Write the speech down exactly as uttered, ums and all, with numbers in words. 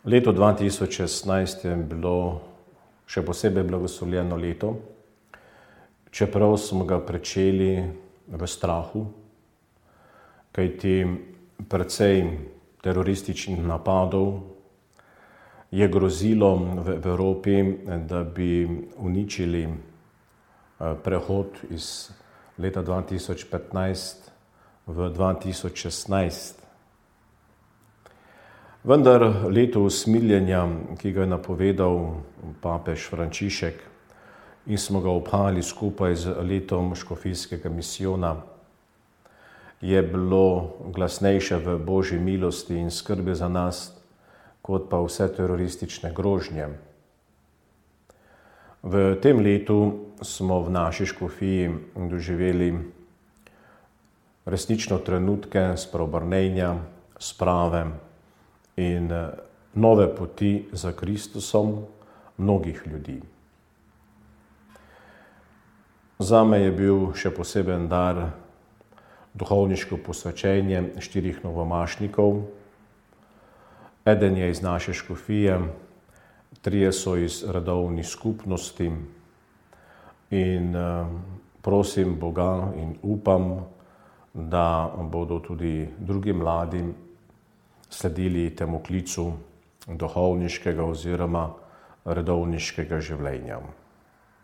Leto dva tisoč šestnajst je bilo še posebej blagoslovljeno leto, čeprav smo ga pričeli v strahu, kajti precej terorističnih napadov je grozilo v Evropi, da bi uničili prehod iz leta dva tisoč petnajst v dva tisoč šestnajst. Vendar leto usmiljenja, ki ga je napovedal papež Frančišek in smo ga obhajali skupaj z letom škofijskega misijona, je bilo glasnejše v Božji milosti in skrbi za nas, kot pa vse teroristične grožnje. V tem letu smo v naši škofiji doživeli resnično trenutke spreobrnenja, sprave in nove poti za Kristusom mnogih ljudi. Zame je bil še poseben dar duhovniško posvečenje štirih novomašnikov. Eden je iz naše škofije, trije so iz redovnih skupnosti in prosim Boga in upam, da bodo tudi drugi mladi sledili temu klicu duhovniškega oziroma redovniškega življenja.